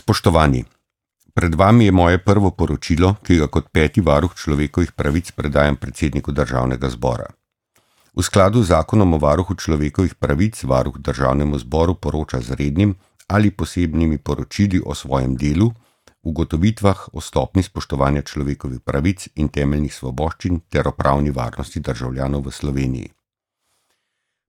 Spoštovani, pred vami je moje prvo poročilo, ki ga kot 5. varuh človekovih pravic predajam predsedniku Državnega zbora. V skladu z zakonom o varuhu človekovih pravic varuh Državnemu zboru poroča z rednim ali posebnimi poročili o svojem delu, ugotovitvah o stopnji spoštovanja človekovih pravic in temeljnih svoboščin ter o pravni varnosti državljanov v Sloveniji.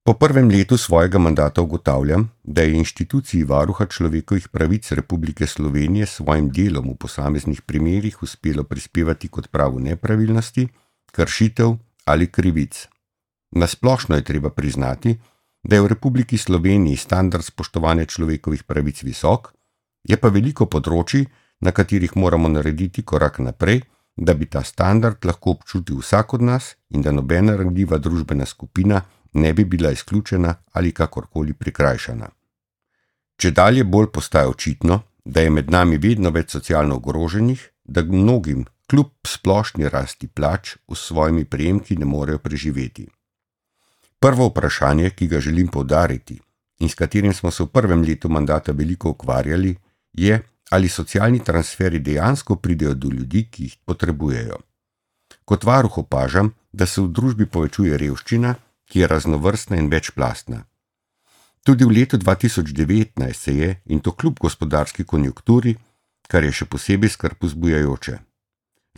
Po prvem letu svojega mandata ugotavljam, da je inštituciji varuha človekovih pravic Republike Slovenije s svojim delom v posameznih primerih uspelo prispevati k odpravi nepravilnosti, kršitev ali krivic. Nasplošno je treba priznati, da je v Republiki Sloveniji standard spoštovanja človekovih pravic visok, je pa veliko področij, na katerih moramo narediti korak naprej, da bi ta standard lahko občutil vsak od nas in da nobena ranljiva družbena skupina ne bi bila izključena ali kakorkoli prikrajšana. Čedalje bolj postaja očitno, da je med nami vedno več socialno ogroženih, da mnogim kljub splošni rasti plač s svojimi prejemki ne morejo preživeti. Prvo vprašanje, ki ga želim poudariti in s katerim smo se v prvem letu mandata veliko ukvarjali, je, ali socialni transferi dejansko pridejo do ljudi, ki jih potrebujejo. Kot varuh opažam, da se v družbi povečuje revščina, ki je raznovrstna in večplastna. Tudi v letu 2019 se je, in to kljub gospodarski konjunkturi, kar je še posebej skrb vzbujajoče.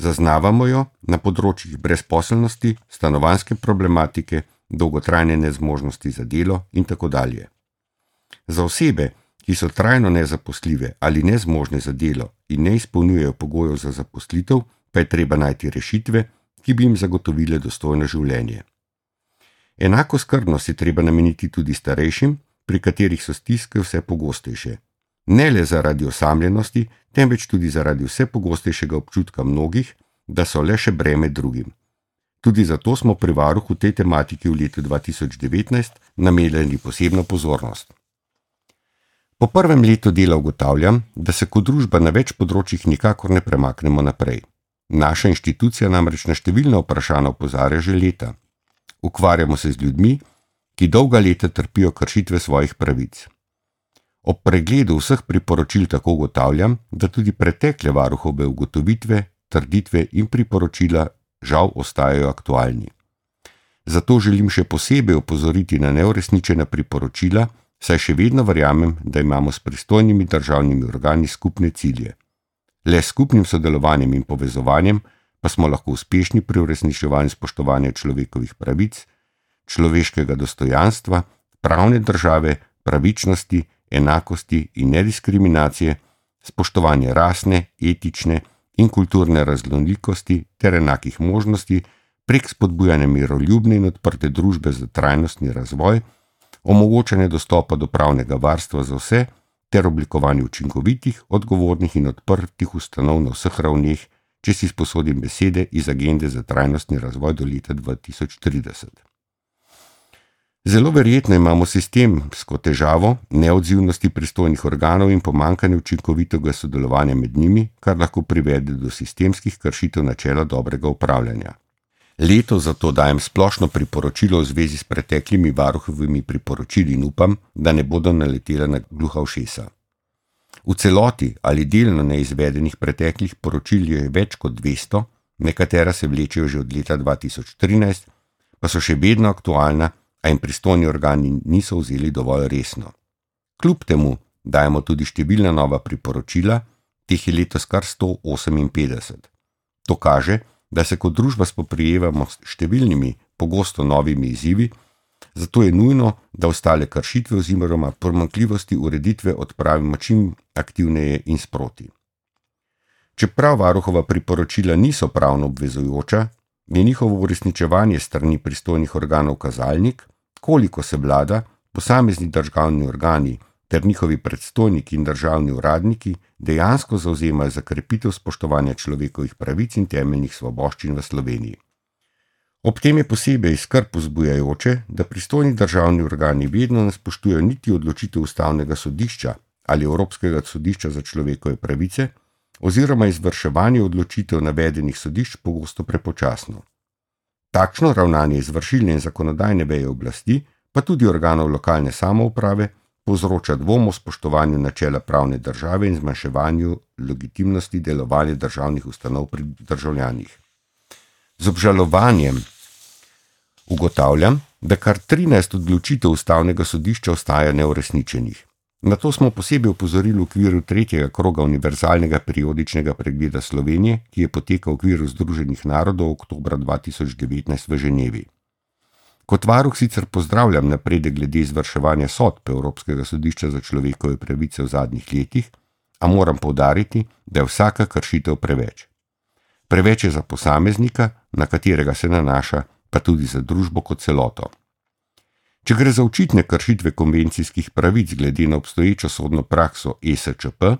Zaznavamo jo na področjih brezposelnosti, stanovanjske problematike, dolgotrajne nezmožnosti za delo in tako dalje. Za osebe, ki so trajno nezaposljive ali nezmožne za delo in ne izpolnjujejo pogojev za zaposlitev, pa je treba najti rešitve, ki bi jim zagotovile dostojno življenje. Enako skrbnost je treba nameniti tudi starejšim, pri katerih so stiske vse pogostejše. Ne le zaradi osamljenosti, temveč tudi zaradi vse pogostejšega občutka mnogih, da so le še breme drugim. Tudi zato smo pri varuhu tej tematiki v letu 2019 namenili posebno pozornost. Po prvem letu dela ugotavljam, da se kot družba na več področjih nikakor ne premaknemo naprej. Naša inštitucija namreč na številna vprašanja opozarja že leta. Ukvarjamo se z ljudmi, ki dolga leta trpijo kršitve svojih pravic. Ob pregledu vseh priporočil tako ugotavljam, da tudi pretekle varuhove ugotovitve, trditve in priporočila žal ostajajo aktualni. Zato želim še posebej opozoriti na neuresničena priporočila, saj še vedno verjamem, da imamo s pristojnimi državnimi organi skupne cilje. Le s skupnim sodelovanjem in povezovanjem pa smo lahko uspešni pri uresničevanju spoštovanja človekovih pravic, človeškega dostojanstva, pravne države, pravičnosti, enakosti in nediskriminacije, spoštovanje rasne, etične in kulturne raznolikosti ter enakih možnosti prek spodbujanja miroljubne in odprte družbe za trajnostni razvoj, omogočanje dostopa do pravnega varstva za vse ter oblikovanje učinkovitih, odgovornih in odprtih ustanov na vseh ravneh, če si sposodim besede iz agende za trajnostni razvoj do leta 2030. Zelo verjetno imamo sistemsko težavo neodzivnosti pristojnih organov in pomanjkanje učinkovitega sodelovanja med njimi, kar lahko privede do sistemskih kršitev načela dobrega upravljanja. Letos zato dajem splošno priporočilo v zvezi s preteklimi varuhovimi priporočili in upam, da ne bodo naletela na gluha ušesa. V celoti ali delno neizvedenih preteklih poročil je več kot 200, nekatera se vlečejo že od leta 2013, pa so še vedno aktualna, a jim pristojni organi niso vzeli dovolj resno. Kljub temu dajemo tudi številna nova priporočila, teh je letos kar 158. To kaže, da se kot družba spoprijemamo s številnimi, pogosto novimi izzivi, zato je nujno, da ostale kršitve oziroma pomanjkljivosti ureditve odpravimo čim aktivneje in sproti. Čeprav varuhova priporočila niso pravno obvezujoča, je njihovo uresničevanje strani pristojnih organov kazalnik, koliko se vlada, posamezni državni organi ter njihovi predstojniki in državni uradniki dejansko zavzemajo za krepitev spoštovanja človekovih pravic in temeljnih svoboščin v Sloveniji. Ob tem je posebej skrb vzbujajoče, da pristojni državni organi vedno ne spoštujejo niti odločitev Ustavnega sodišča ali Evropskega sodišča za človekove pravice oziroma izvrševanje odločitev navedenih sodišč pogosto prepočasno. Takšno ravnanje izvršilne in zakonodajne veje oblasti, pa tudi organov lokalne samouprave, povzroča dvom o spoštovanju načela pravne države in zmanjševanju legitimnosti delovanja državnih ustanov pri državljanih. Z obžalovanjem ugotavljam, da kar 13 odločitev Ustavnega sodišča ostaja neuresničenih. Na to smo posebej opozorili v okviru 3. kroga univerzalnega periodičnega pregleda Slovenije, ki je potekal v okviru Združenih narodov oktobra 2019 v Ženevi. Kot varuh sicer pozdravljam napredek glede izvrševanja sodb Evropskega sodišča za človekove pravice v zadnjih letih, a moram poudariti, da je vsaka kršitev preveč. Preveč je za posameznika, na katerega se nanaša, pa tudi za družbo kot celoto. Če gre za očitne kršitve konvencijskih pravic glede na obstoječo sodno prakso ESČP,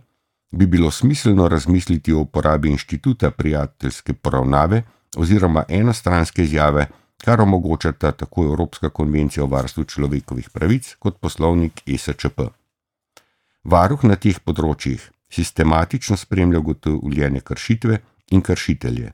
bi bilo smiselno razmisliti o uporabi inštituta prijateljske poravnave oziroma enostranske izjave, kar omogočata tako Evropska konvencija o varstvu človekovih pravic kot poslovnik ESČP. Varuh na teh področjih sistematično spremlja ugotovljene kršitve in kršitelje.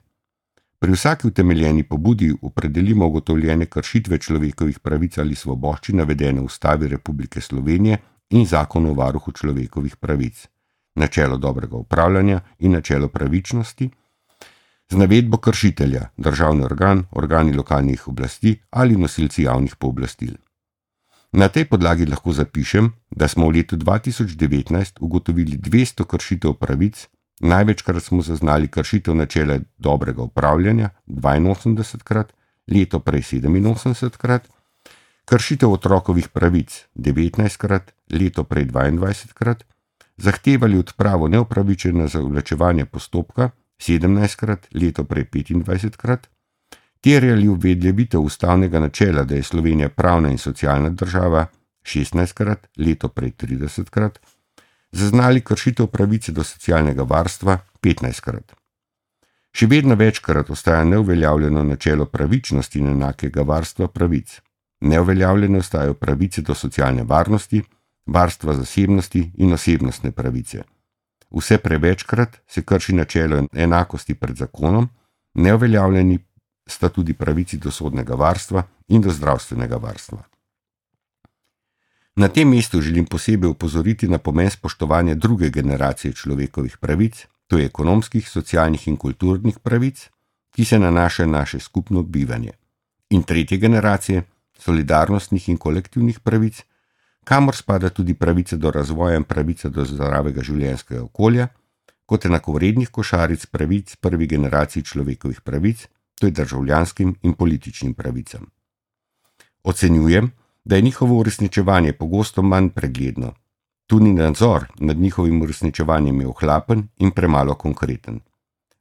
Pri vsaki utemeljeni pobudi opredelimo ugotovljene kršitve človekovih pravic ali svoboščin navedene v Ustavi Republike Slovenije in Zakonu o varuhu človekovih pravic, načelo dobrega upravljanja in načelo pravičnosti, z navedbo kršitelja, državni organ, organi lokalnih oblasti ali nosilci javnih pooblastil. Na tej podlagi lahko zapišem, da smo v letu 2019 ugotovili 200 kršitev pravic, največkrat smo zaznali kršitev načela dobrega upravljanja 82krat, leto prej 87krat, kršitev otrokovih pravic 19krat, leto prej 22krat, zahtevali odpravo neupravičenega zavlačevanja postopka 17krat, leto prej 25krat, terjali uveljavitev ustavnega načela, da je Slovenija pravna in socialna država 16krat, leto prej 30krat, zaznali kršitev pravice do socialnega varstva 15krat. Še vedno večkrat ostaja neuveljavljeno načelo pravičnosti in enakega varstva pravic. Neuveljavljene ostajajo pravice do socialne varnosti, varstva zasebnosti in osebnostne pravice. Vse prevečkrat se krši načelo enakosti pred zakonom, neuveljavljeni sta tudi pravici do sodnega varstva in do zdravstvenega varstva. Na tem mestu želim posebej opozoriti na pomen spoštovanja druge generacije človekovih pravic, to je ekonomskih, socialnih in kulturnih pravic, ki se nanašajo na naše skupno bivanje, in tretje generacije, solidarnostnih in kolektivnih pravic, kamor spada tudi pravica do razvoja in pravica do zdravega življenjskega okolja, kot enakovrednih košaric pravic prvi generaciji človekovih pravic, to je državljanskim in političnim pravicam. Ocenjujem, da je njihovo uresničevanje pogosto manj pregledno. Tudi nadzor nad njihovim uresničevanjem je ohlapen in premalo konkreten.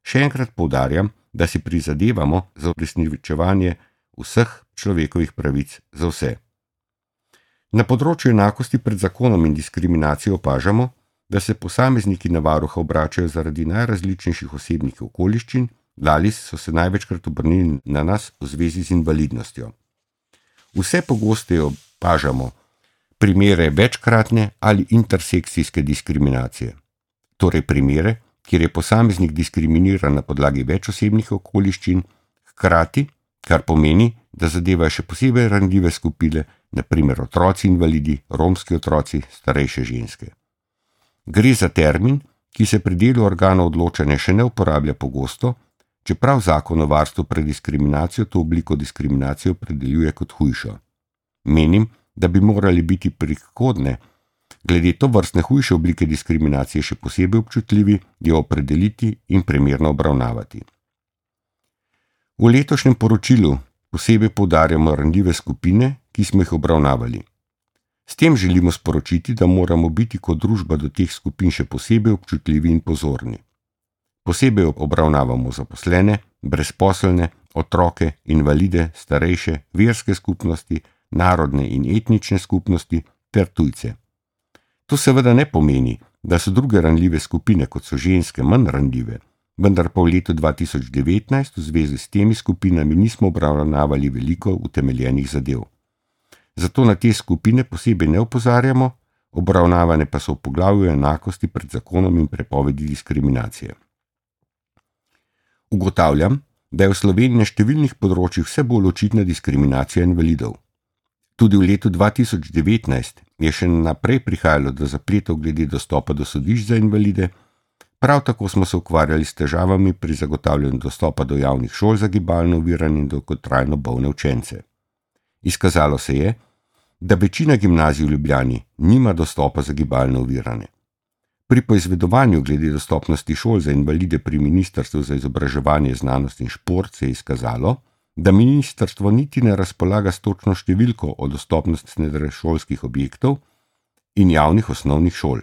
Še enkrat poudarjam, da si prizadevamo za uresničevanje vseh človekovih pravic za vse. Na področju enakosti pred zakonom in diskriminacijo opažamo, da se posamezniki na varuha obračajo zaradi najrazličnejših osebnih okoliščin, ali so se največkrat obrnili na nas v zvezi z invalidnostjo. Vse pogosteje opažamo primere večkratne ali intersekcijske diskriminacije, torej primere, kjer je posameznik diskriminiran na podlagi več osebnih okoliščin, hkrati, kar pomeni, da zadevajo še posebej ranljive skupine, na primer otroci invalidi, romski otroci, starejše ženske. Gre za termin, ki se pri delu organov odločanja še ne uporablja pogosto, čeprav Zakon o varstvu pred diskriminacijo to obliko diskriminacije opredeljuje kot hujšo. Menim, da bi morali biti prihodnje glede tovrstne hujše oblike diskriminacije še posebej občutljivi, jo opredeliti in primerno obravnavati. V letošnjem poročilu posebej poudarjamo ranljive skupine, ki smo jih obravnavali. S tem želimo sporočiti, da moramo biti kot družba do teh skupin še posebej občutljivi in pozorni. Posebej obravnavamo zaposlene, brezposelne, otroke, invalide, starejše, verske skupnosti, narodne in etnične skupnosti ter tujce. To seveda ne pomeni, da so druge ranljive skupine, kot so ženske, manj ranljive, vendar pa v letu 2019 v zvezi s temi skupinami nismo obravnavali veliko utemeljenih zadev. Zato na te skupine posebej ne opozarjamo, obravnavane pa so v poglavju enakosti pred zakonom in prepovedi diskriminacije. Ugotavljam, da je v Sloveniji na številnih področjih vse bolj očitna diskriminacija invalidov. Tudi v letu 2019 je še naprej prihajalo do zapletov glede dostopa do sodišč za invalide, prav tako smo se ukvarjali s težavami pri zagotavljanju dostopa do javnih šol za gibalno ovirane in dolgotrajno bolne učence. Izkazalo se je, da večina gimnazij v Ljubljani nima dostopa za gibalno ovirane. Pri poizvedovanju glede dostopnosti šol za invalide pri Ministrstvu za izobraževanje, znanost in šport se je izkazalo, da ministrstvo niti ne razpolaga s točno številko o dostopnosti srednješolskih objektov in javnih osnovnih šol.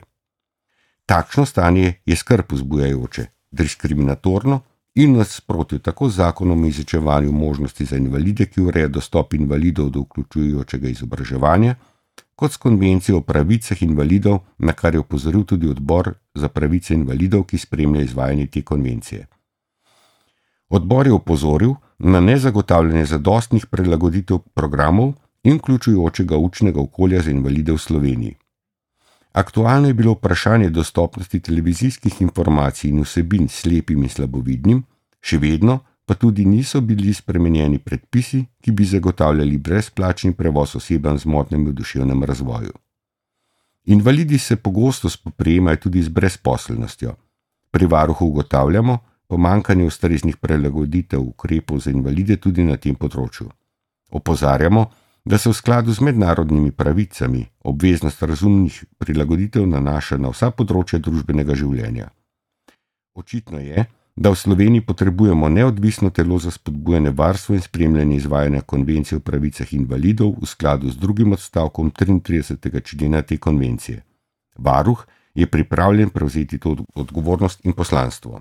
Takšno stanje je skrb vzbujajoče, diskriminatorno in v nasprotju tako z zakonom o izenačevanju možnosti za invalide, ki ureja dostop invalidov do vključujočega izobraževanja, kot s konvencijo o pravicah invalidov, na kar je opozoril tudi Odbor za pravice invalidov, ki spremlja izvajanje te konvencije. Odbor je opozoril na nezagotavljanje zadostnih prilagoditev programov in vključujočega učnega okolja za invalide v Sloveniji. Aktualno je bilo vprašanje dostopnosti televizijskih informacij in vsebin slepim in slabovidnim, še vedno pa tudi niso bili spremenjeni predpisi, ki bi zagotavljali brezplačni prevoz osebam z motnjami v duševnem razvoju. Invalidi se pogosto spoprijemajo tudi z brezposelnostjo. Pri varuhu ugotavljamo pomanjkanje ustreznih prilagoditev ukrepov za invalide tudi na tem področju. Opozarjamo, da se v skladu z mednarodnimi pravicami obveznost razumnih prilagoditev nanaša na vsa področja družbenega življenja. Očitno je, da v Sloveniji potrebujemo neodvisno telo za spodbujanje varstva in spremljanje izvajanja konvencije o pravicah invalidov v skladu z drugim odstavkom 33. člena te konvencije. Varuh je pripravljen prevzeti to odgovornost in poslanstvo.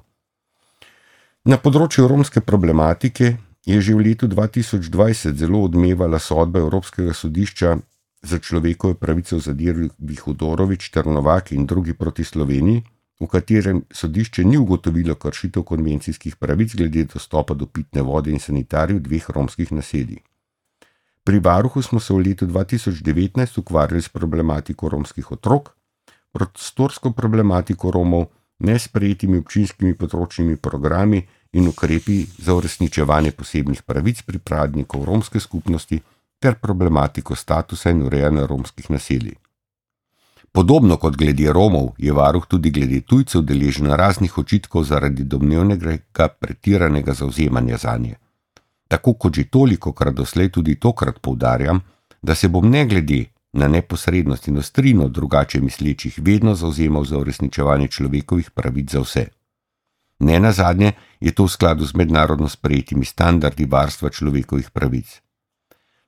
Na področju romske problematike je že v letu 2020 zelo odmevala sodba Evropskega sodišča za človekove pravice v zadevi Hudorovič, Trnovak in drugi proti Sloveniji, v katerem sodišče ni ugotovilo kršitev konvencijskih pravic glede dostopa do pitne vode in sanitarij v 2 romskih naseljih. Pri varuhu smo se v letu 2019 ukvarjali s problematiko romskih otrok, prostorsko problematiko Romov, nesprejetimi občinskimi področnimi programi in ukrepi za uresničevanje posebnih pravic pripadnikov romske skupnosti ter problematiko statusa in urejanja romskih naselij. Podobno kot glede Romov je varuh tudi glede tujcev deležen raznih očitkov zaradi domnevnega pretiranega zavzemanja zanje. Tako kot že tolikokrat doslej tudi tokrat poudarjam, da se bom ne glede na neposrednost in ostrino drugače mislečih vedno zavzemal za uresničevanje človekovih pravic za vse. Nenazadnje je to v skladu z mednarodno sprejetimi standardi varstva človekovih pravic.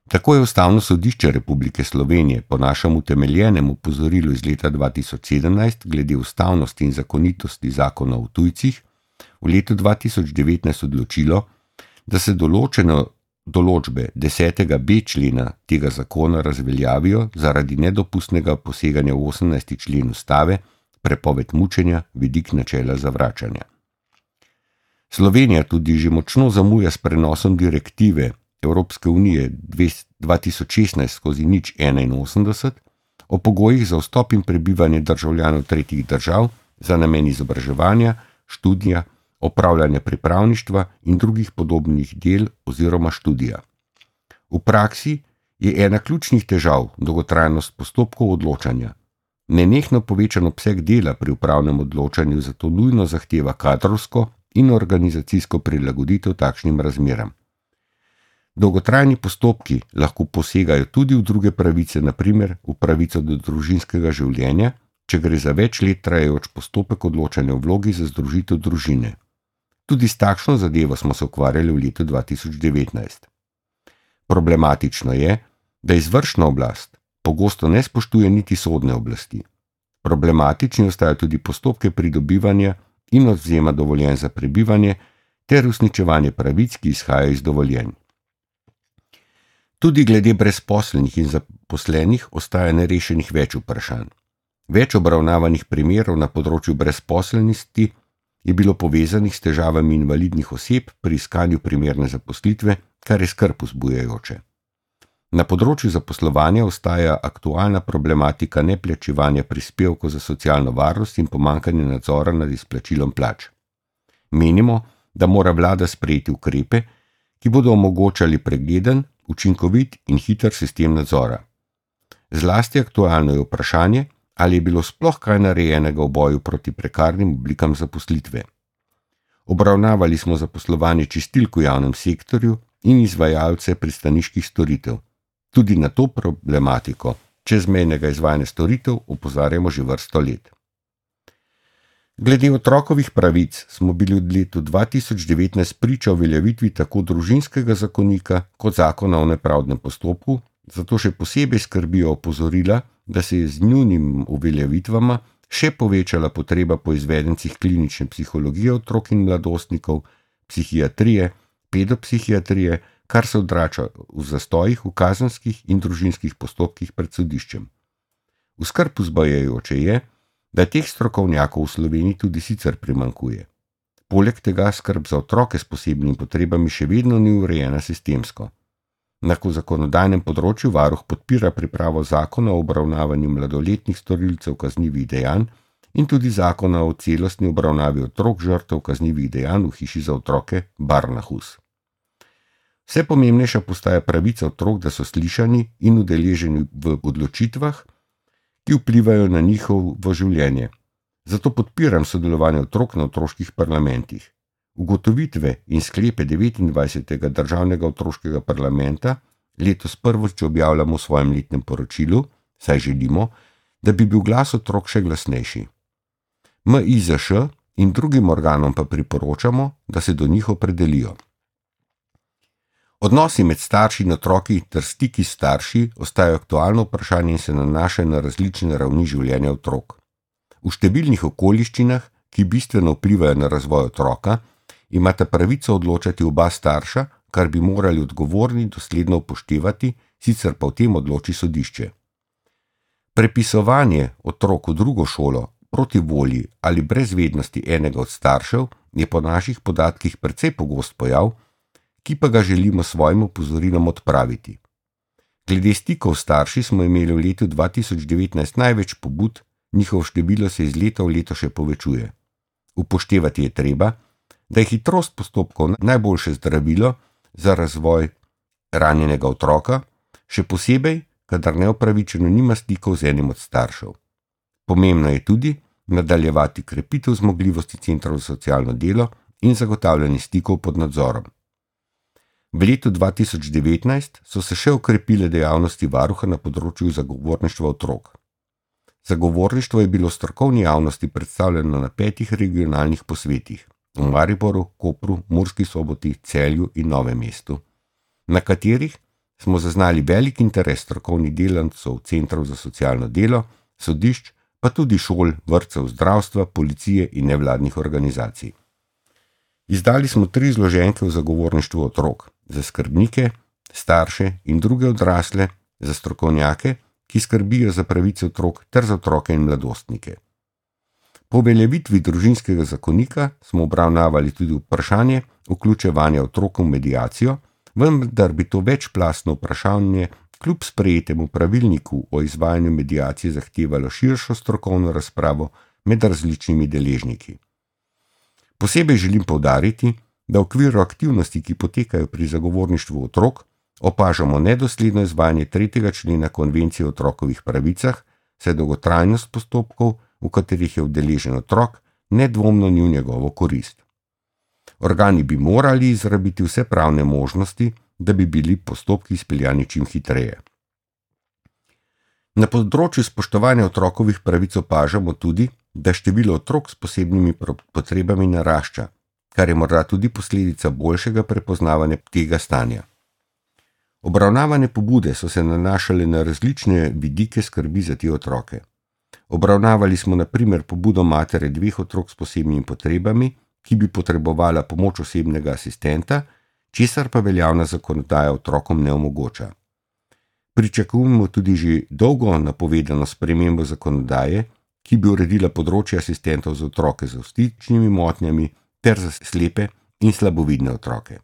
Tako je Ustavno sodišče Republike Slovenije po našem utemeljenem opozorilu iz leta 2017 glede ustavnosti in zakonitosti zakona o tujcih v letu 2019 odločilo, da se določbe 10b člena tega zakona razveljavijo zaradi nedopustnega poseganja v 18. člen Ustave, prepoved mučenja, vidik načela zavračanja. Slovenija tudi že močno zamuja s prenosom direktive Evropske unije 2016/081 o pogojih za vstop in prebivanje državljanov tretjih držav za namen izobraževanja, študija, opravljanja pripravništva in drugih podobnih del oziroma študija. V praksi je ena ključnih težav dolgotrajnost postopkov odločanja. Nenehno povečan obseg dela pri upravnem odločanju zato nujno zahteva kadrovsko in organizacijsko prilagoditev takšnim razmeram. Dolgotrajni postopki lahko posegajo tudi v druge pravice, na primer v pravico do družinskega življenja, če gre za več let trajajoč postopek odločanja v vlogi za združitev družine. Tudi s takšno zadevo smo se ukvarjali v letu 2019. Problematično je, da izvršna oblast pogosto ne spoštuje niti sodne oblasti. Problematični ostajajo tudi postopke pridobivanja in odvzema dovoljenj za prebivanje ter uresničevanje pravic, ki izhajajo iz dovoljenj. Tudi glede brezposelnih in zaposlenih ostaja nerešenih več vprašanj. Več obravnavanih primerov na področju brezposelnosti je bilo povezanih s težavami invalidnih oseb pri iskanju primerne zaposlitve, kar je skrb vzbujajoče. Na področju zaposlovanja ostaja aktualna problematika neplačevanja prispevkov za socialno varnost in pomanjkanje nadzora nad izplačilom plač. Menimo, da mora vlada sprejeti ukrepe, ki bodo omogočali pregleden, učinkovit in hiter sistem nadzora. Zlasti aktualno je vprašanje, ali je bilo sploh kaj narejenega v boju proti prekarnim oblikam zaposlitve. Obravnavali smo zaposlovanje čistilk v javnem sektorju in izvajalce pristaniških storitev. Tudi na to problematiko čezmejnega izvajanja storitev opozarjamo že vrsto let. Glede otrokovih pravic smo bili v letu 2019 priča uveljavitvi tako družinskega zakonika kot zakona o nepravdnem postopku, zato še posebej skrbijo opozorila, da se je z njunim uveljavitvama še povečala potreba po izvedencih klinične psihologije otrok in mladostnikov, psihiatrije, pedopsihiatrije, kar se odrača v zastojih v kazenskih in družinskih postopkih pred sodiščem. V skrb vzbujajoče je, da teh strokovnjakov v Sloveniji tudi sicer primanjkuje. Poleg tega skrb za otroke s posebnimi potrebami še vedno ni urejena sistemsko. Na zakonodajnem področju varuh podpira pripravo zakona o obravnavanju mladoletnih storilcev kaznivih dejanj in tudi zakona o celostni obravnavi otrok žrtev kaznivih dejanj v hiši za otroke Barnahus. Vse pomembnejša postaja pravica otrok, da so slišani in udeleženi v odločitvah, ki vplivajo na njihovo življenje. Zato podpiram sodelovanje otrok na otroških parlamentih. Ugotovitve in sklepe 29. državnega otroškega parlamenta letos prvič objavljamo v svojem letnem poročilu, saj želimo, da bi bil glas otrok še glasnejši. MIZŠ in drugim organom pa priporočamo, da se do njih opredelijo. Odnosi med starši in otroki ter stiki s starši ostajajo aktualno vprašanje in se nanašajo na različne ravni življenja otrok. V številnih okoliščinah, ki bistveno vplivajo na razvoj otroka, imata pravico odločati oba starša, kar bi morali odgovorni dosledno upoštevati, sicer pa o tem odloči sodišče. Prepisovanje otrok v drugo šolo proti volji ali brez vednosti enega od staršev je po naših podatkih precej pogost pojav, ki pa ga želimo svojim opozorilom odpraviti. Glede stikov s starši smo imeli v letu 2019 največ pobud, njihovo število se iz leta v leto še povečuje. Upoštevati je treba, da je hitrost postopkov najboljše zdravilo za razvoj ranjenega otroka, še posebej, kadar neupravičeno nima stikov z enim od staršev. Pomembno je tudi nadaljevati krepitev zmogljivosti centrov za socialno delo in zagotavljanje stikov pod nadzorom. V letu 2019 so se še okrepile dejavnosti varuha na področju zagovorništva otrok. Zagovorništvo je bilo strokovni javnosti predstavljeno na 5 regionalnih posvetih v Mariboru, Kopru, Murski Soboti, Celju in Novem mestu, na katerih smo zaznali velik interes strokovnih delavcev centrov za socialno delo, sodišč, pa tudi šol, vrtcev, zdravstva, policije in nevladnih organizacij. Izdali smo 3 izloženke o zagovorništvu otrok, za skrbnike, starše in druge odrasle, za strokovnjake, ki skrbijo za pravice otrok ter za otroke in mladostnike. Po uveljavitvi družinskega zakonika smo obravnavali tudi vprašanje vključevanja otrok v mediacijo, vendar bi to večplastno vprašanje kljub sprejetemu pravilniku o izvajanju mediacije zahtevalo širšo strokovno razpravo med različnimi deležniki. Posebej želim poudariti, da v okviru aktivnosti, ki potekajo pri zagovorništvu otrok, opažamo nedosledno izvajanje 3. člena Konvencije o otrokovih pravicah, saj dolgotrajnost postopkov, v katerih je udeležen otrok, nedvomno ni v njegovo korist. Organi bi morali izrabiti vse pravne možnosti, da bi bili postopki izpeljani čim hitreje. Na področju spoštovanja otrokovih pravic opažamo tudi, da število otrok s posebnimi potrebami narašča, kar je morda tudi posledica boljšega prepoznavanja tega stanja. Obravnavane pobude so se nanašale na različne vidike skrbi za te otroke. Obravnavali smo na primer pobudo matere 2 otrok s posebnimi potrebami, ki bi potrebovala pomoč osebnega asistenta, česar pa veljavna zakonodaja otrokom ne omogoča. Pričakujemo tudi že dolgo napovedano spremembo zakonodaje, ki bi uredila področje asistentov za otroke z avtističnimi motnjami ter za slepe in slabovidne otroke.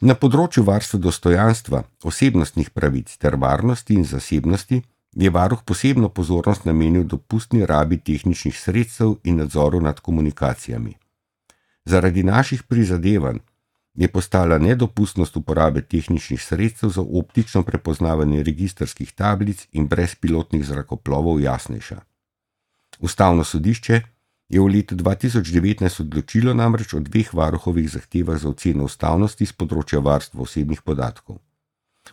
Na področju varstva dostojanstva, osebnostnih pravic ter varnosti in zasebnosti je varuh posebno pozornost namenil dopustni rabi tehničnih sredstev in nadzoru nad komunikacijami. Zaradi naših prizadevanj je postala nedopustnost uporabe tehničnih sredstev za optično prepoznavanje registrskih tablic in brezpilotnih zrakoplovov jasnejša. Ustavno sodišče je v letu 2019 odločilo namreč o 2 varuhovih zahtevah za oceno ustavnosti z področja varstva osebnih podatkov.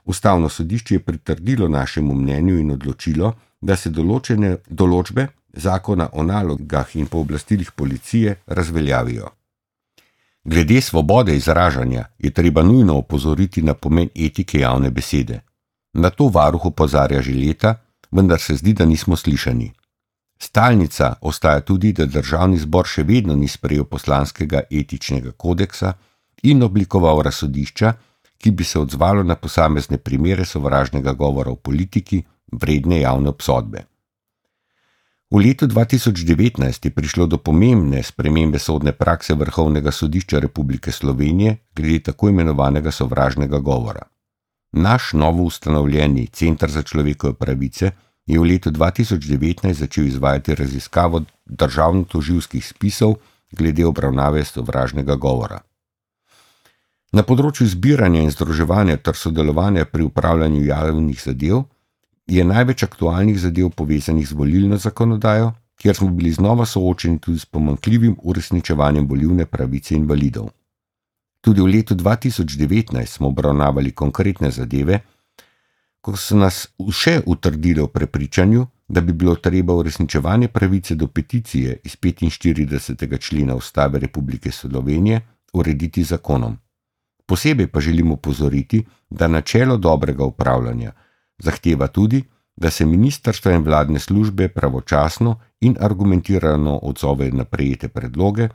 Ustavno sodišče je pritrdilo našemu mnenju in odločilo, da se določene določbe zakona o nalogah in pooblastilih policije razveljavijo. Glede svobode izražanja je treba nujno opozoriti na pomen etike javne besede. Na to varuh opozarja že leta, vendar se zdi, da nismo slišani. Stalnica ostaja tudi, da Državni zbor še vedno ni sprejel poslanskega etičnega kodeksa in oblikoval razsodišča, ki bi se odzvalo na posamezne primere sovražnega govora v politiki, vredne javne obsodbe. V letu 2019 je prišlo do pomembne spremembe sodne prakse Vrhovnega sodišča Republike Slovenije glede tako imenovanega sovražnega govora. Naš novo ustanovljeni Center za človekove pravice je v letu 2019 začel izvajati raziskavo državno-tožilskih spisov glede obravnave sovražnega govora. Na področju zbiranja in združevanja ter sodelovanja pri upravljanju javnih zadev je največ aktualnih zadev povezanih z volilno zakonodajo, kjer smo bili znova soočeni tudi s pomanjkljivim uresničevanjem volilne pravice invalidov. Tudi v letu 2019 smo obravnavali konkretne zadeve, ko so nas še utrdili v prepričanju, da bi bilo treba uresničevanje pravice do peticije iz 45. člena Ustave Republike Slovenije urediti zakonom. Posebej pa želimo opozoriti, da načelo dobrega upravljanja zahteva tudi, da se ministrstva in vladne službe pravočasno in argumentirano odzovejo na prejete predloge,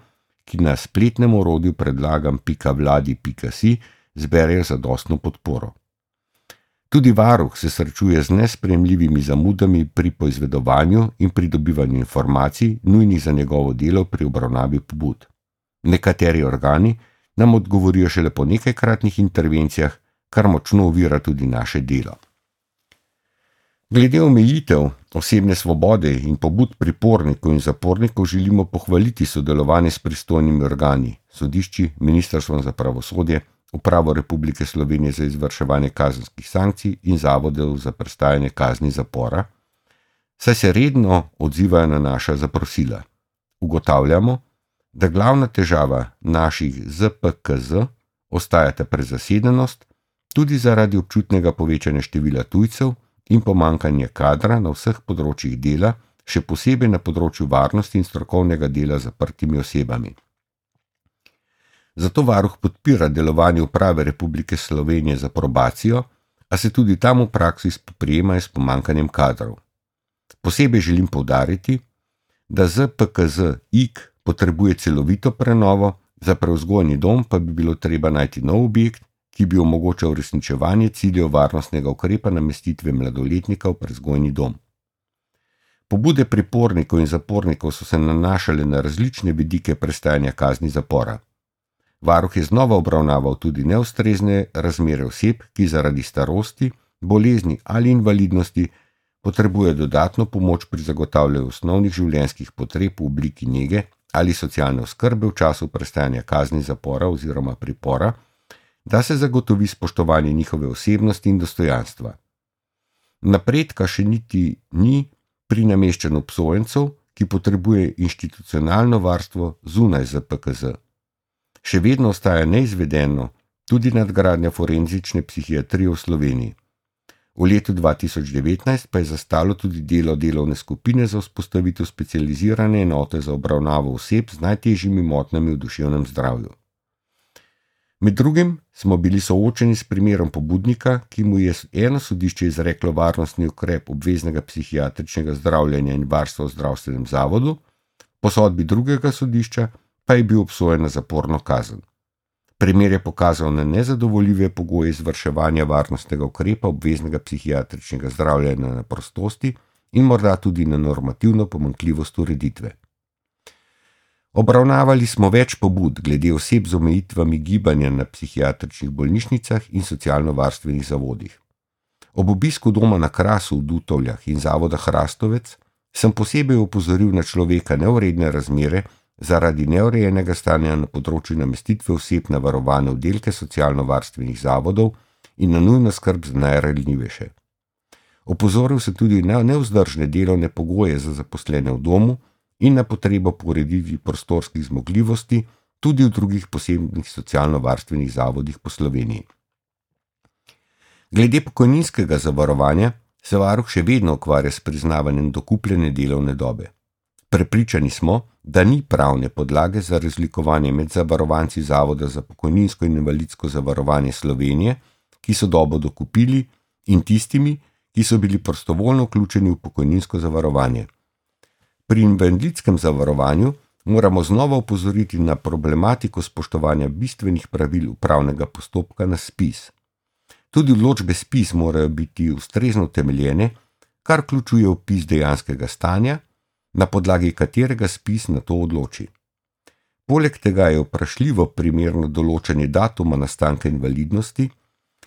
ki na spletnem orodju predlagam.vladi.si zberejo zadostno podporo. Tudi varuh se srečuje z nesprejemljivimi zamudami pri poizvedovanju in pridobivanju informacij, nujnih za njegovo delo pri obravnavi pobud. Nekateri organi nam odgovorijo šele po nekajkratnih intervencijah, kar močno ovira tudi naše delo. Glede omejitev osebne svobode in pobud pripornikov in zapornikov želimo pohvaliti sodelovanje s pristojnimi organi, sodišči, Ministrstvom za pravosodje, Upravo Republike Slovenije za izvrševanje kazenskih sankcij in Zavodov za prestajanje kazni zapora, saj se redno odzivajo na naša zaprosila. Ugotavljamo, da glavna težava naših ZPKZ ostajata prezasedenost, tudi zaradi občutnega povečanja števila tujcev in pomanjkanja kadra na vseh področjih dela, še posebej na področju varnosti in strokovnega dela z zaprtimi osebami. Zato varuh podpira delovanje Uprave Republike Slovenije za probacijo, a se tudi tam v praksi spoprijemajo s pomanjkanjem kadrov. Posebej želim poudariti, da ZPKZ-IK potrebuje celovito prenovo, za prevzgojni dom pa bi bilo treba najti nov objekt, ki bi omogočal uresničevanje ciljev varnostnega ukrepa namestitve mladoletnika v prevzgojni dom. Pobude pripornikov in zapornikov so se nanašale na različne vidike prestajanja kazni zapora. Varuh je znova obravnaval tudi neustrezne razmere oseb, ki zaradi starosti, bolezni ali invalidnosti potrebuje dodatno pomoč pri zagotavljanju osnovnih življenjskih potreb v obliki nege ali socialne oskrbe v času prestajanja kazni zapora oziroma pripora, da se zagotovi spoštovanje njihove osebnosti in dostojanstva. Napredka še niti ni pri nameščanju obsojencev, ki potrebuje institucionalno varstvo zunaj ZPKZ. Še vedno ostaja neizvedeno tudi nadgradnja forenzične psihiatrije v Sloveniji. V letu 2019 pa je zastalo tudi delo delovne skupine za vzpostavitev specializirane enote za obravnavo oseb z najtežjimi motnjami v duševnem zdravju. Med drugim smo bili soočeni s primerom pobudnika, ki mu je eno sodišče izreklo varnostni ukrep obveznega psihiatričnega zdravljenja in varstva v zdravstvenem zavodu, po sodbi drugega sodišča pa je bil obsojen na zaporno kazen. Primer je pokazal na nezadovoljive pogoje izvrševanja varnostnega ukrepa obveznega psihiatričnega zdravljenja na prostosti in morda tudi na normativno pomanjkljivost ureditve. Obravnavali smo več pobud glede oseb z omejitvami gibanja na psihiatričnih bolnišnicah in socialno-varstvenih zavodih. Ob obisku doma na Krasu v Dutovljah in zavoda Hrastovec sem posebej opozoril na človeka nevredne razmere, zaradi neurejenega stanja na področju namestitve oseb na varovane oddelke socialno-varstvenih zavodov in na nujno skrb za najranljivejše. Opozoril se tudi na nevzdržne delovne pogoje za zaposlene v domu in na potrebo po ureditvi prostorskih zmogljivosti tudi v drugih posebnih socialno-varstvenih zavodih po Sloveniji. Glede pokojninskega zavarovanja se varuh še vedno ukvarja s priznavanjem dokupljene delovne dobe. Prepričani smo, da ni pravne podlage za razlikovanje med zavarovanci Zavoda za pokojninsko in invalidsko zavarovanje Slovenije, ki so dobo dokupili, in tistimi, ki so bili prostovoljno vključeni v pokojninsko zavarovanje. Pri invalidskem zavarovanju moramo znova opozoriti na problematiko spoštovanja bistvenih pravil upravnega postopka na ZPIZ. Tudi odločbe ZPIZ morajo biti ustrezno utemeljene, kar vključuje opis dejanskega stanja, na podlagi katerega ZPIZ na to odloči. Poleg tega je vprašljivo primerno določanje datuma nastanka invalidnosti,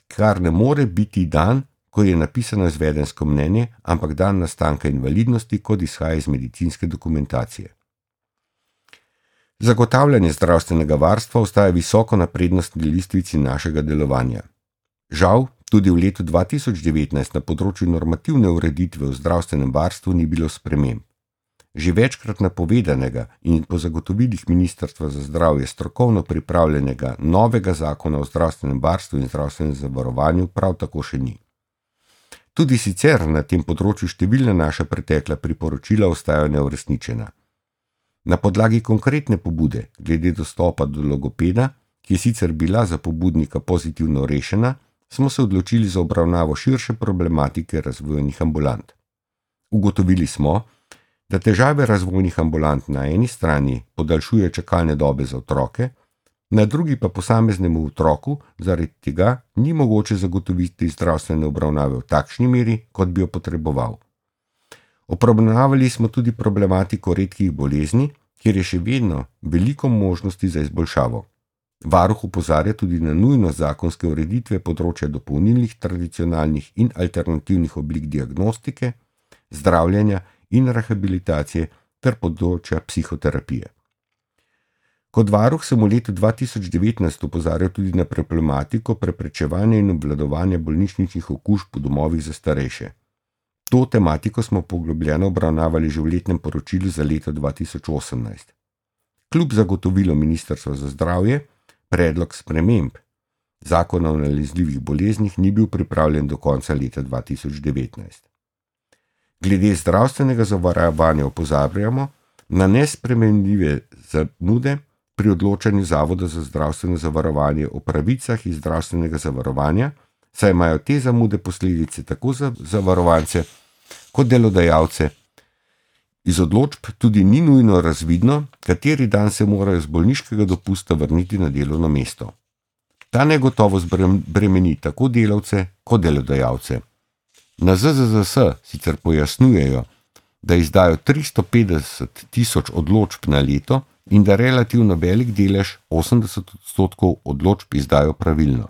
kar ne more biti dan, ko je napisano izvedensko mnenje, ampak dan nastanka invalidnosti, kot izhaja iz medicinske dokumentacije. Zagotavljanje zdravstvenega varstva ostaja visoko na prednostni listvici našega delovanja. Žal, tudi v letu 2019 na področju normativne ureditve v zdravstvenem varstvu ni bilo sprememb. Že večkrat napovedanega in po zagotovilih Ministrstva za zdravje strokovno pripravljenega novega zakona o zdravstvenem varstvu in zdravstvenem zavarovanju prav tako še ni. Tudi sicer na tem področju številna naša pretekla priporočila ostajajo neuresničena. Na podlagi konkretne pobude glede dostopa do logopeda, ki je sicer bila za pobudnika pozitivno rešena, smo se odločili za obravnavo širše problematike razvojnih ambulant. Ugotovili smo, da težave razvojnih ambulant na eni strani podaljšuje čakalne dobe za otroke, na drugi pa posameznemu otroku zaradi tega ni mogoče zagotoviti zdravstvene obravnave v takšni meri, kot bi jo potreboval. Obravnavali smo tudi problematiko redkih bolezni, kjer je še vedno veliko možnosti za izboljšavo. Varuh opozarja tudi na nujnost zakonske ureditve področja dopolnilnih, tradicionalnih in alternativnih oblik diagnostike, zdravljenja in rehabilitacije ter področja psihoterapije. Kot varuh sem v letu 2019 opozarjal tudi na problematiko preprečevanja in obvladovanja bolnišničnih okužb v domovih za starejše. To tematiko smo poglobljeno obravnavali že v letnem poročilu za leto 2018. Kljub zagotovilu Ministrstva za zdravje, predlog sprememb zakona o nalezljivih boleznih ni bil pripravljen do konca leta 2019. Glede zdravstvenega zavarovanja opozarjamo na nespremenljive zamude pri odločanju Zavoda za zdravstveno zavarovanje o pravicah iz zdravstvenega zavarovanja, saj imajo te zamude posledice tako za zavarovance kot delodajalce. Iz odločb tudi ni nujno razvidno, kateri dan se morajo z bolniškega dopusta vrniti na delovno mesto. Ta negotovost bremeni tako delavce kot delodajalce. Na ZZZS sicer pojasnjujejo, da izdajo 350.000 odločb na leto in da relativno velik delež, 80% odločb, izdajo pravilno.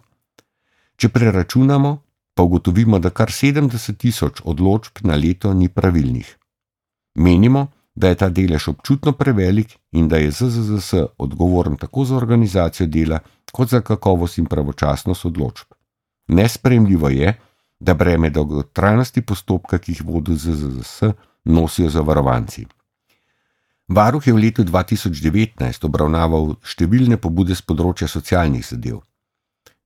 Če preračunamo, pa ugotovimo, da kar 70.000 odločb na leto ni pravilnih. Menimo, da je ta delež občutno prevelik in da je ZZZS odgovoren tako za organizacijo dela, kot za kakovost in pravočasnost odločb. Nesprejemljivo je, da breme dolgotrajnosti postopka, ki jih vodi ZZZS, nosijo zavarovanci. Varuh je v letu 2019 obravnaval številne pobude z področja socialnih zadev.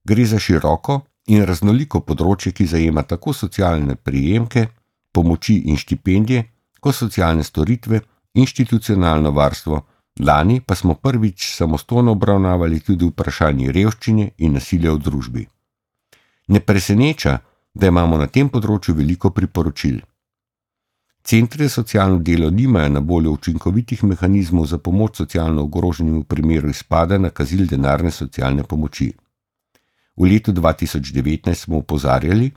Gre za široko in raznoliko področje, ki zajema tako socialne prejemke, pomoči in štipendije, kot socialne storitve, institucionalno varstvo. Lani pa smo prvič samostojno obravnavali tudi vprašanje revščine in nasilja v družbi. Ne preseneča, da imamo na tem področju veliko priporočil. Centri za socialno delo nimajo na voljo učinkovitih mehanizmov za pomoč socialno ogroženim v primeru izpada nakazil denarne socialne pomoči. V letu 2019 smo opozarjali,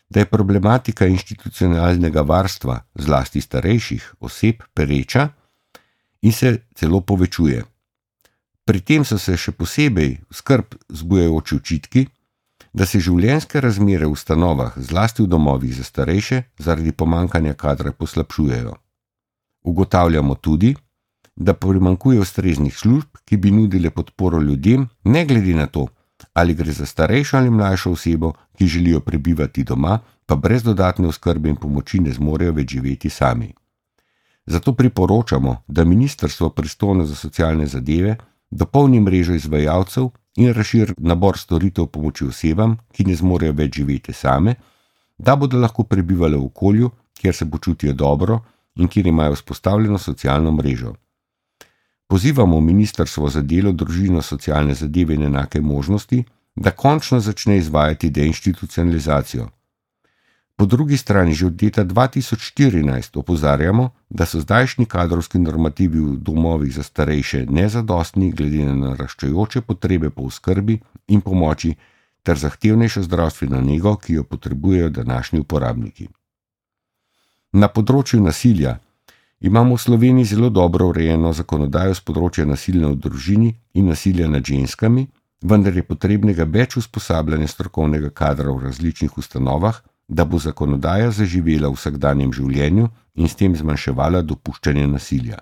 da je problematika institucionalnega varstva, zlasti starejših oseb, pereča in se celo povečuje. Pri tem so se še posebej skrb vzbujajoči očitki, da se življenjske razmere v ustanovah, zlasti v domovih za starejše, zaradi pomanjkanja kadra poslabšujejo. Ugotavljamo tudi, da primanjkuje ustreznih služb, ki bi nudile podporo ljudem, ne glede na to, ali gre za starejšo ali mlajšo osebo, ki želijo prebivati doma, pa brez dodatne oskrbe in pomoči ne zmorejo več živeti sami. Zato priporočamo, da ministrstvo pristojno za socialne zadeve dopolni mrežo izvajalcev in razširi nabor storitev pomoči osebam, ki ne zmorejo več živeti same, da bodo lahko prebivali v okolju, kjer se počutijo dobro in kjer imajo vzpostavljeno socialno mrežo. Pozivamo Ministrstvo za delo, družino, socialne zadeve in enake možnosti, da končno začne izvajati deinstitucionalizacijo. Po drugi strani že od leta 2014 opozarjamo, da so zdajšnji kadrovski normativi v domovih za starejše nezadostni glede na naraščajoče potrebe po oskrbi in pomoči ter zahtevnejšo zdravstveno nego, ki jo potrebujejo današnji uporabniki. Na področju nasilja imamo v Sloveniji zelo dobro urejeno zakonodajo z področja nasilja v družini in nasilja nad ženskami, vendar je potrebnega več usposabljanja strokovnega kadra v različnih ustanovah, da bo zakonodaja zaživela v vsakdanjem življenju in s tem zmanjševala dopuščanje nasilja.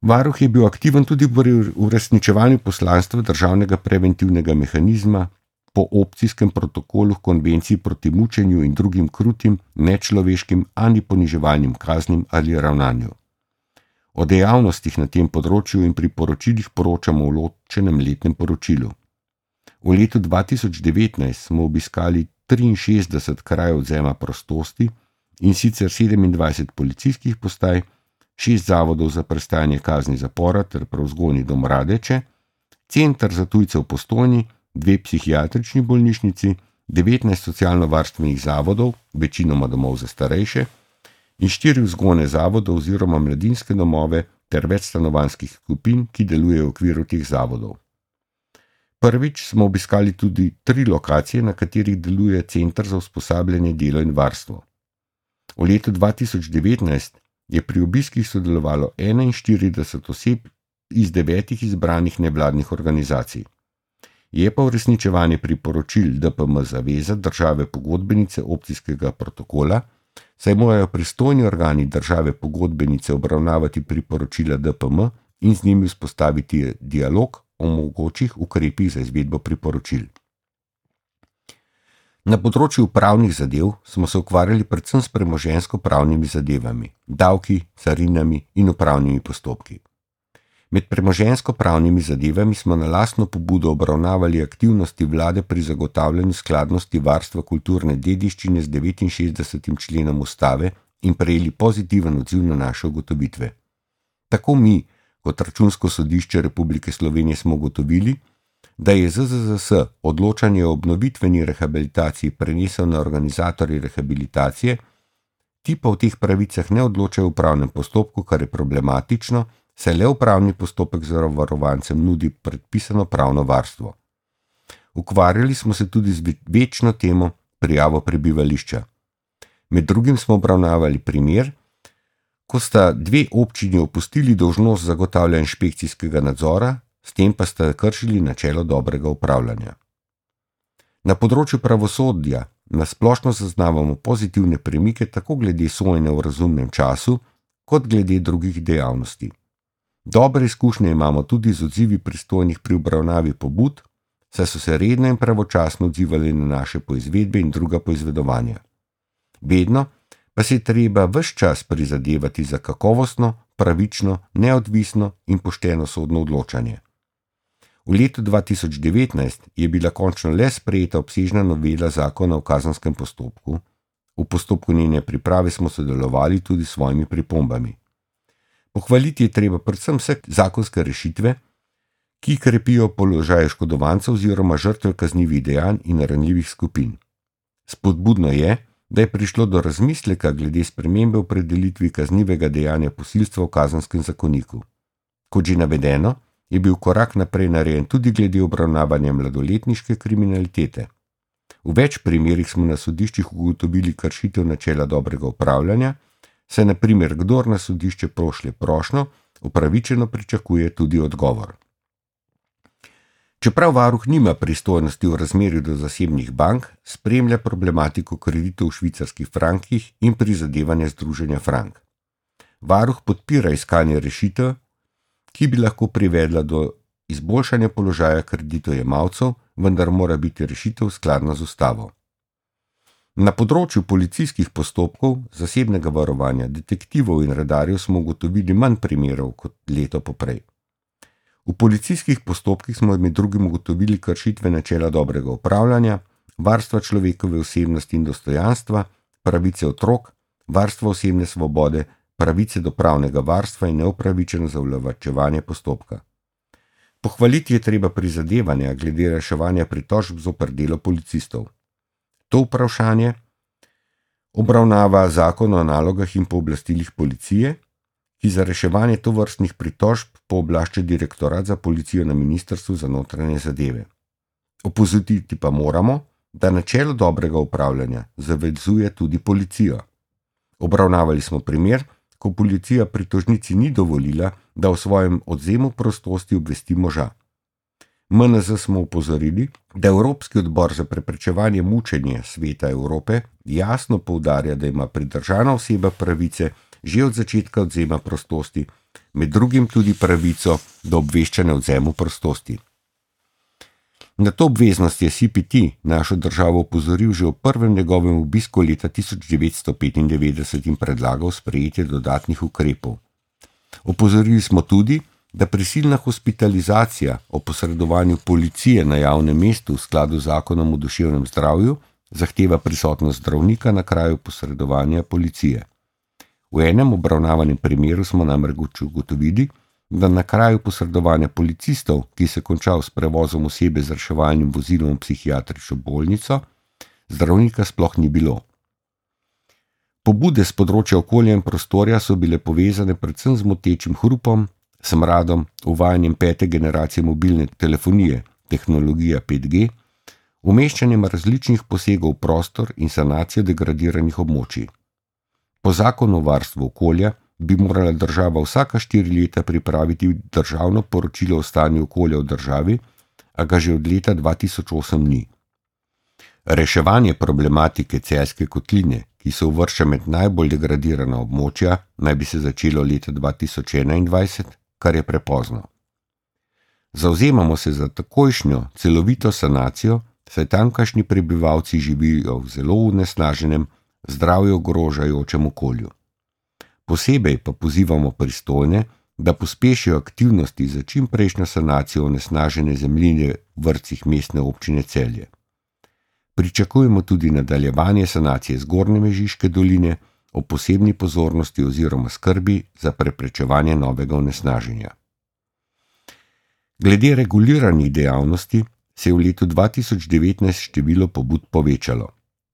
Varuh je bil aktiven tudi v uresničevanju poslanstva državnega preventivnega mehanizma po opcijskem protokolu konvenciji proti mučenju in drugim krutim, nečloveškim ali poniževalnim kaznim ali ravnanju. O dejavnostih na tem področju in priporočilih poročamo v ločenem letnem poročilu. V letu 2019 smo obiskali 63 krajev odvzema prostosti, in sicer 27 policijskih postaj, 6 zavodov za prestajanje kazni zapora ter prevzgojni dom Radeče, center za tujce v Postojni, 2 psihiatrični bolnišnici, 19 socialno-varstvenih zavodov, večinoma domov za starejše, in 4 vzgojne zavodov oziroma mladinske domove ter več stanovanjskih skupin, ki delujejo v okviru teh zavodov. Prvič smo obiskali tudi 3 lokacije, na katerih deluje Center za usposabljanje, delo in varstvo. V letu 2019 je pri obiskih sodelovalo 41 oseb iz 9 izbranih nevladnih organizacij. Je pa uresničevanje priporočil DPM zaveza države pogodbenice opcijskega protokola, saj morajo pristojni organi države pogodbenice obravnavati priporočila DPM in z njimi vzpostaviti dialog o mogočih ukrepih za izvedbo priporočil. Na področju upravnih zadev smo se ukvarjali predvsem s premoženjsko-pravnimi zadevami, davki, carinami in upravnimi postopki. Med premoženjsko-pravnimi zadevami smo na lastno pobudo obravnavali aktivnosti vlade pri zagotavljanju skladnosti varstva kulturne dediščine z 69. členom ustave in prejeli pozitiven odziv na naše ugotovitve. Tako mi, kot Računsko sodišče Republike Slovenije, smo ugotovili, da je ZZZS odločanje o obnovitveni rehabilitaciji prenesel na organizatorje rehabilitacije, ti pa v teh pravicah ne odločajo v upravnem postopku, kar je problematično, saj le upravni postopek z varovancem nudi predpisano pravno varstvo. Ukvarjali smo se tudi z večno temo prijavo prebivališča. Med drugim smo obravnavali primer, ko sta 2 občini opustili dolžnost zagotavljanja inšpekcijskega nadzora, s tem pa sta kršili načelo dobrega upravljanja. Na področju pravosodja nasplošno zaznavamo pozitivne premike tako glede sojenja v razumnem času, kot glede drugih dejavnosti. Dobre izkušnje imamo tudi z odzivi pristojnih pri obravnavi pobud, saj so se redno in pravočasno odzivali na naše poizvedbe in druga poizvedovanja. Vedno pa se je treba ves čas prizadevati za kakovostno, pravično, neodvisno in pošteno sodno odločanje. V letu 2019 je bila končno le sprejeta obsežna novela zakona o kazenskem postopku. V postopku njene priprave smo sodelovali tudi s svojimi pripombami. Pohvaliti je treba predvsem vse zakonske rešitve, ki krepijo položaj oškodovancev oziroma žrtev kaznivih dejanj in ranljivih skupin. Spodbudno je, da je prišlo do razmisleka glede spremembe v opredelitvi kaznivega dejanja posilstva v kazenskem zakoniku. Kot že navedeno, je bil korak naprej narejen tudi glede obravnavanja mladoletniške kriminalitete. V več primerih smo na sodiščih ugotovili kršitev načela dobrega upravljanja, saj na primer kdor na sodišče pošlje prošnjo, upravičeno pričakuje tudi odgovor. Čeprav varuh nima pristojnosti v razmerju do zasebnih bank, spremlja problematiko kreditov v švicarskih frankih in prizadevanja Združenja Frank. Varuh podpira iskanje rešitev, ki bi lahko privedla do izboljšanja položaja kreditojemalcev, vendar mora biti rešitev skladna z ustavo. Na področju policijskih postopkov, zasebnega varovanja, detektivov in redarjev smo ugotovili manj primerov kot leto poprej. V policijskih postopkih smo med drugim ugotovili kršitve načela dobrega upravljanja, varstva človekove osebnosti in dostojanstva, pravice otrok, varstva osebne svobode, pravice do pravnega varstva in neupravičeno zavlačevanje postopka. Pohvaliti je treba prizadevanja glede reševanja pritožb zoper delo policistov. To vprašanje obravnava Zakon o nalogah in pooblastilih policije, ki za reševanje tovrstnih pritožb pooblašča Direktorat za policijo na Ministrstvu za notranje zadeve. Opozoriti pa moramo, da načelo dobrega upravljanja zavezuje tudi policijo. Obravnavali smo primer, ko policija pritožnici ni dovolila, da o svojem odvzemu prostosti obvesti moža. MNZ smo upozorili, da Evropski odbor za preprečevanje mučenja Sveta Evrope jasno poudarja, da ima pridržana oseba pravice že od začetka odvzema prostosti, med drugim tudi pravico do obveščanja o odvzemu prostosti. Na to obveznost je CPT našo državo opozoril že v prvem njegovem obisku leta 1995 in predlagal sprejetje dodatnih ukrepov. Opozorili smo tudi, da prisilna hospitalizacija o posredovanju policije na javnem mestu v skladu z Zakonom o duševnem zdravju zahteva prisotnost zdravnika na kraju posredovanja policije. V enem obravnavanem primeru smo namreč ugotovili, da na kraju posredovanja policistov, ki se končal s prevozom osebe z reševalnim vozilom v psihiatrično bolnico, zdravnika sploh ni bilo. Pobude z področja okolja in prostorja so bile povezane predvsem z motečim hrupom, smradom, uvajanjem 5. generacije mobilne telefonije, tehnologija 5G, umeščanjem različnih posegov v prostor in sanacijo degradiranih območij. Po zakonu o varstvu okolja bi morala država vsaka 4 leta pripraviti državno poročilo o stanju okolja v državi, a ga že od leta 2008 ni. Reševanje problematike Celjske kotline, ki se uvršča med najbolj degradirana območja, naj bi se začelo leta 2021, kar je prepozno. Zavzemamo se za takojšnjo celovito sanacijo, saj tamkajšnji prebivalci živijo v zelo onesnaženem, zdravje ogrožajočem okolju. Posebej pa pozivamo pristojne, da pospešijo aktivnosti za čimprejšnjo sanacijo onesnažene zemljine v vrtcih mestne občine Celje. Pričakujemo tudi nadaljevanje sanacije Zgornje Mežiške doline ob posebni pozornosti oziroma skrbi za preprečevanje novega onesnaženja. Glede reguliranih dejavnosti se je v letu 2019 število pobud povečalo.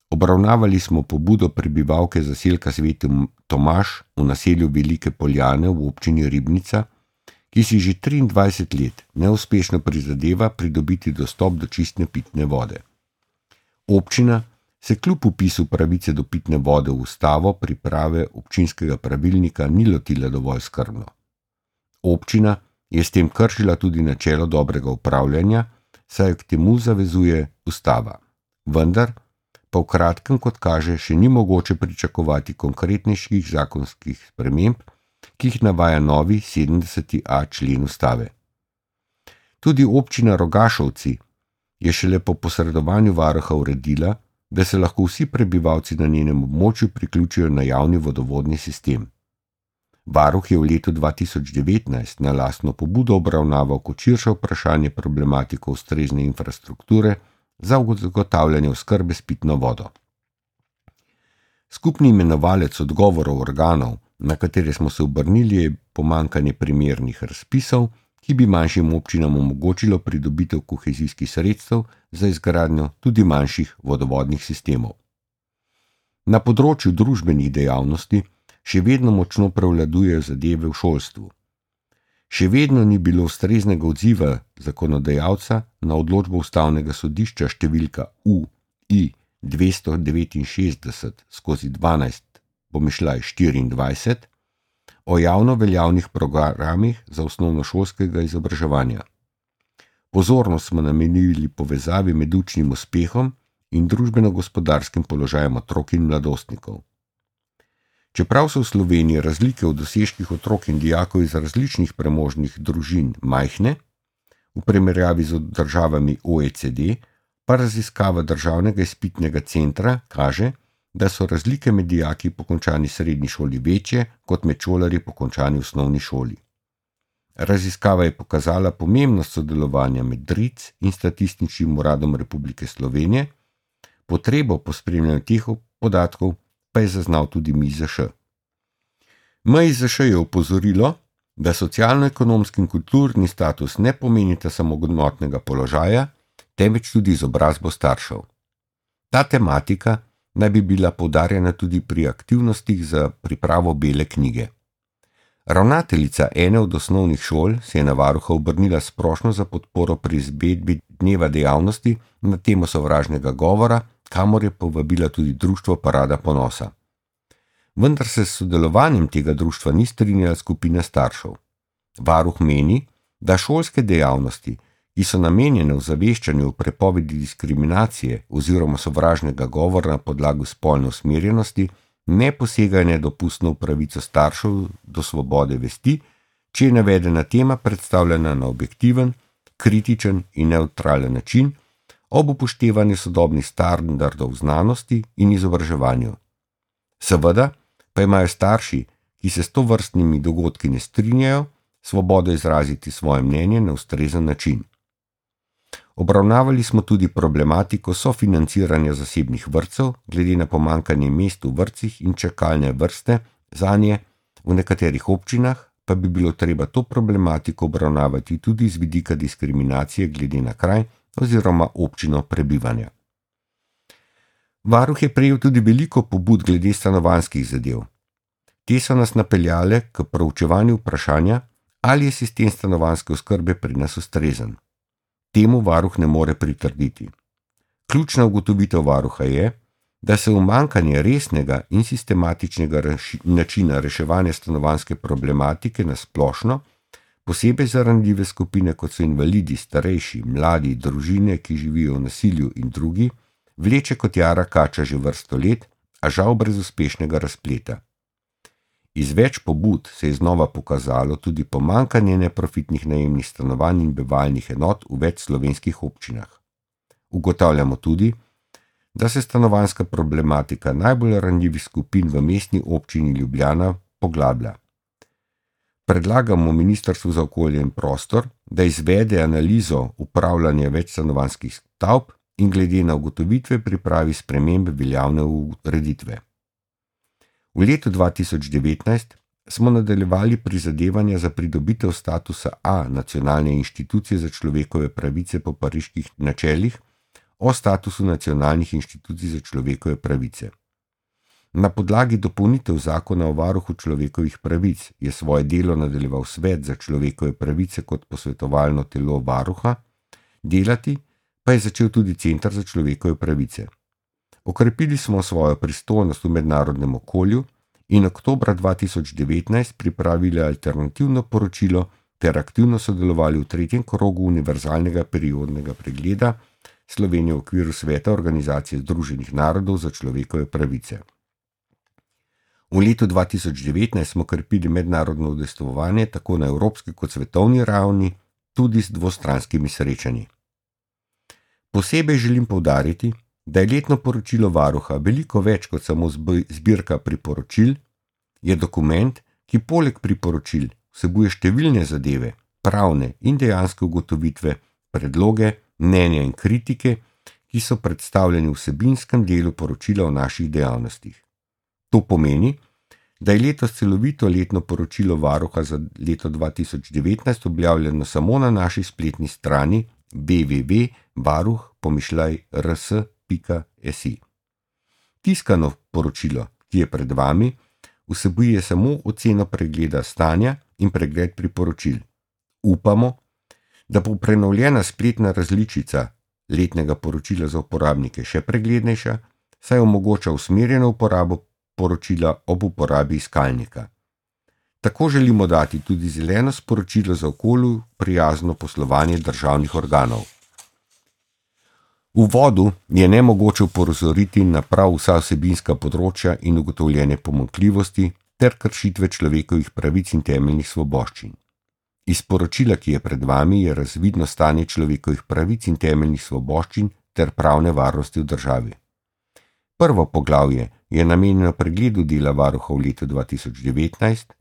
Obravnavali smo pobudo prebivalke zaselka Sveti Tomaž v naselju Velike Poljane v občini Ribnica, ki si že 23 let neuspešno prizadeva pridobiti dostop do čiste pitne vode. Občina se kljub vpisu pravice do pitne vode v ustavo priprave občinskega pravilnika ni lotila dovolj skrbno. Občina je s tem kršila tudi načelo dobrega upravljanja, saj jo k temu zavezuje ustava. Vendar pa v kratkem, kot kaže, še ni mogoče pričakovati konkretnejših zakonskih sprememb, ki jih navaja novi 70a člen ustave. Tudi občina Rogašovci je šele po posredovanju varuha uredila, da se lahko vsi prebivalci na njenem območju priključijo na javni vodovodni sistem. Varuh je v letu 2019 na lastno pobudo obravnaval kot širše vprašanje problematiko ustrezne infrastrukture za zagotavljanje oskrbe s pitno vodo. Skupni imenovalec odgovorov organov, na katere smo se obrnili, je pomanjkanje primernih razpisov, ki bi manjšim občinam omogočilo pridobitev kohezijskih sredstev za izgradnjo tudi manjših vodovodnih sistemov. Na področju družbenih dejavnosti še vedno močno prevladujejo zadeve v šolstvu. Še vedno ni bilo ustreznega odziva zakonodajalca na odločbo ustavnega sodišča številka UI 269/12/24 o javno veljavnih programih za osnovnošolskega izobraževanja. Pozornost smo namenili povezavi med učnim uspehom in družbeno-gospodarskim položajem otrok in mladostnikov. Čeprav so v Sloveniji razlike v dosežkih otrok in dijakov iz različnih premožnih družin majhne, v primerjavi z državami OECD, pa raziskava Državnega izpitnega centra kaže, da so razlike med dijaki po končani srednji šoli večje kot med šolarji po končani osnovni šoli. Raziskava je pokazala pomembnost sodelovanja med DRIC in Statističnim uradom Republike Slovenije, potrebo po spremljanju teh podatkov pa je zaznal tudi MIZŠ. MIZŠ je opozorilo, da socialno-ekonomski in kulturni status ne pomenita samo gmotnega položaja, temveč tudi izobrazbo staršev. Ta tematika naj bi bila poudarjena tudi pri aktivnostih za pripravo bele knjige. Ravnateljica ene od osnovnih šol se je na varuha obrnila s prošnjo za podporo pri izvedbi dneva dejavnosti na temo sovražnega govora, kamor je povabila tudi društvo Parada ponosa. Vendar se s sodelovanjem tega društva ni strinjala skupina staršev. Varuh meni, da šolske dejavnosti, ki so namenjene v zaveščanju o prepovedi diskriminacije oziroma sovražnega govora na podlagi spolne usmerjenosti, ne posegajo nedopustno v pravico staršev do svobode vesti, če je navedena tema predstavljena na objektiven, kritičen in nevtralen način, ob upoštevanju sodobnih standardov znanosti in izobraževanju. Seveda pa imajo starši, ki se s tovrstnimi dogodki ne strinjajo, svobodo izraziti svoje mnenje na ustrezen način. Obravnavali smo tudi problematiko sofinanciranja zasebnih vrtcev glede na pomanjkanje mest v vrtcih in čakalne vrste zanje, v nekaterih občinah pa bi bilo treba to problematiko obravnavati tudi z vidika diskriminacije glede na kraj oziroma občino prebivanja. Varuh je prejel tudi veliko pobud glede stanovanjskih zadev. Te so nas napeljale k proučevanju vprašanja, ali je sistem stanovanjske oskrbe pri nas ustrezen. Temu varuh ne more pritrditi. Ključna ugotovitev varuha je, da se umanjkanje resnega in sistematičnega načina reševanja stanovanjske problematike na splošno, posebej za ranljive skupine, kot so invalidi, starejši, mladi, družine, ki živijo v nasilju in drugi, vleče kot jara kača že vrsto let, a žal brez uspešnega razpleta. Iz več pobud se je znova pokazalo tudi pomanjkanje neprofitnih najemnih stanovanj in bivalnih enot v več slovenskih občinah. Ugotavljamo tudi, da se stanovanjska problematika najbolj ranljivih skupin v mestni občini Ljubljana poglablja. Predlagamo Ministrstvu za okolje in prostor, da izvede analizo upravljanja večstanovanjskih stavb in glede na ugotovitve pripravi spremembe veljavne ureditve. V letu 2019 smo nadaljevali prizadevanja za pridobitev statusa A nacionalne inštitucije za človekove pravice po pariških načelih o statusu nacionalnih inštitucij za človekove pravice. Na podlagi dopolnitev zakona o varuhu človekovih pravic je svoje delo nadaljeval Svet za človekove pravice kot posvetovalno telo varuha, delati pa je začel tudi Center za človekove pravice. Okrepili smo svojo pristojnost v mednarodnem okolju in oktobra 2019 pripravili alternativno poročilo ter aktivno sodelovali v 3. krogu univerzalnega periodnega pregleda Slovenije v okviru Sveta Organizacije Združenih narodov za človekove pravice. V letu 2019 smo krepili mednarodno udejstvovanje tako na evropski kot svetovni ravni, tudi s dvostranskimi srečanji. Posebej želim poudariti, da je letno poročilo varuha veliko več kot samo zbirka priporočil, je dokument, ki poleg priporočil vsebuje številne zadeve, pravne in dejanske ugotovitve, predloge, mnenja in kritike, ki so predstavljeni v vsebinskem delu poročila o naših dejavnostih. To pomeni, da je letos celovito letno poročilo varuha za leto 2019 objavljeno samo na naši spletni strani www.varuh-rs.si. Tiskano poročilo, ki je pred vami, vsebuje samo oceno pregleda stanja in pregled priporočil. Upamo, da bo prenovljena spletna različica letnega poročila za uporabnike še preglednejša, saj omogoča usmerjeno uporabo poročila ob uporabi iskalnika. Tako želimo dati tudi zeleno sporočilo za okolju prijazno poslovanje državnih organov. V uvodu je nemogoče upozoriti na prav vsa vsebinska področja in ugotovljene pomanjkljivosti ter kršitve človekovih pravic in temeljnih svoboščin. Iz poročila, ki je pred vami, je razvidno stanje človekovih pravic in temeljnih svoboščin ter pravne varnosti v državi. Prvo poglavje je namenjeno pregledu dela varuha v letu 2019,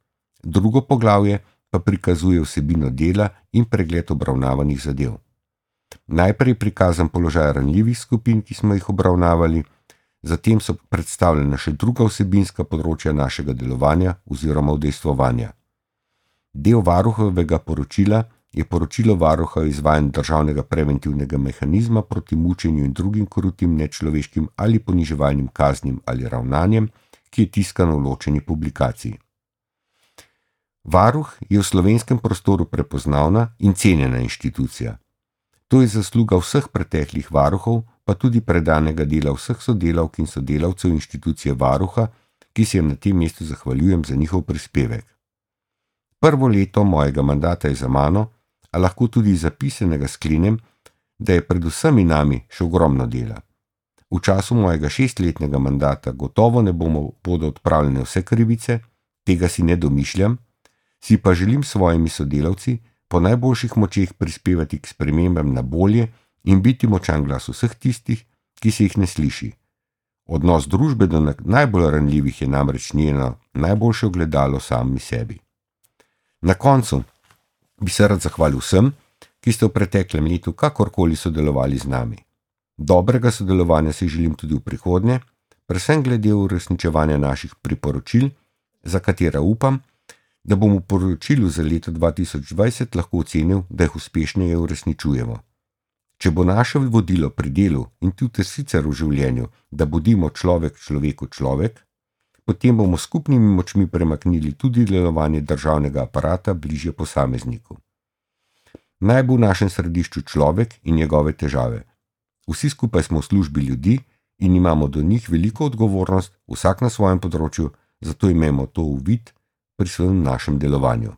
drugo poglavje pa prikazuje vsebino dela in pregled obravnavanih zadev. Najprej prikazan položaj ranljivih skupin, ki smo jih obravnavali, zatem so predstavljena še druga vsebinska področja našega delovanja oziroma udejstvovanja. Del varuhovega poročila je poročilo varuha o izvajanju državnega preventivnega mehanizma proti mučenju in drugim krutim, nečloveškim ali poniževalnim kaznim ali ravnanjem, ki je tiskano v ločeni publikaciji. Varuh je v slovenskem prostoru prepoznavna in cenjena inštitucija. To je zasluga vseh preteklih varuhov, pa tudi predanega dela vseh sodelavk in sodelavcev inštitucije varuha, ki se jim na tem mestu zahvaljujem za njihov prispevek. Prvo leto mojega mandata je za mano, a lahko tudi iz zapisanega sklenem, da je pred vsemi nami še ogromno dela. V času mojega 6-letnega mandata gotovo ne bodo odpravljene vse krivice, tega si ne domišljam, si pa želim s svojimi sodelavci po najboljših močeh prispevati k spremembam na bolje in biti močan glas vseh tistih, ki se jih ne sliši. Odnos družbe do najbolj ranljivih je namreč njeno najboljše ogledalo sami sebi. Na koncu bi se rad zahvalil vsem, ki ste v preteklem letu kakorkoli sodelovali z nami. Dobrega sodelovanja si želim tudi v prihodnje, predvsem glede uresničevanja naših priporočil, za katera upam, da bom v poročilu za leto 2020 lahko ocenil, da jih uspešneje uresničujemo. Če bo naše vodilo pri delu in tudi sicer v življenju, da bodimo človek človeku človek, potem bomo s skupnimi močmi premaknili tudi delovanje državnega aparata bližje posamezniku. Naj bo v našem središču človek in njegove težave. Vsi skupaj smo v službi ljudi in imamo do njih veliko odgovornost, vsak na svojem področju, zato imamo to v vid pri svojem našem delovanju.